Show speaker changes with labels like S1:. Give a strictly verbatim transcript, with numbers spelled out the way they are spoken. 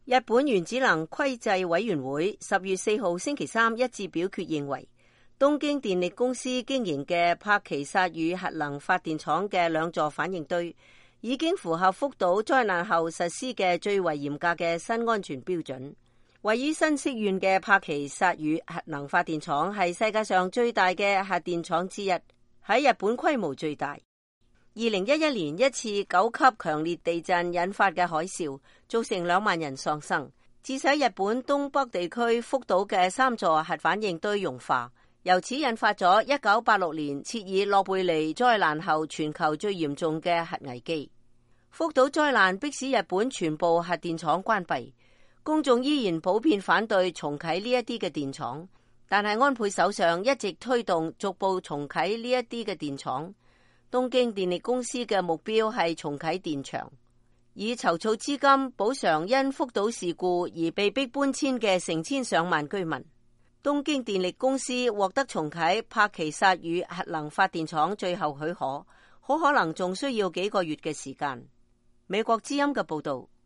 S1: 日本原子能規制委員會十月四號星期三一致表決認為，東京電力公司經營嘅柏崎薩宇核能發電廠嘅兩座反應堆已經符合福島災難後實施嘅最為嚴格嘅新安全標準。位於新潟縣嘅柏崎薩宇核能發電廠係世界上最大嘅核電廠之一，喺日本規模最大。二零一一年一次九級強烈地震引發嘅海嘯，造成兩萬人喪生，致使日本東北地區福島嘅三座核反應堆融化，由此引發咗一九八六年切爾諾貝利災難後全球最嚴重嘅核危機。福島災難迫使日本全部核電廠關閉，公眾依然普遍反對重啟呢一啲嘅電廠，但係安倍首相一直推動逐步重啟呢一啲嘅電廠。東京電力公司嘅目標係重啟電廠，以籌措資金補償因福島事故而被迫搬遷嘅成千上萬居民。東京電力公司獲得重啟柏崎薩宇核能發電廠最後許可，好可能仲需要幾個月嘅時間。美國之音嘅報道。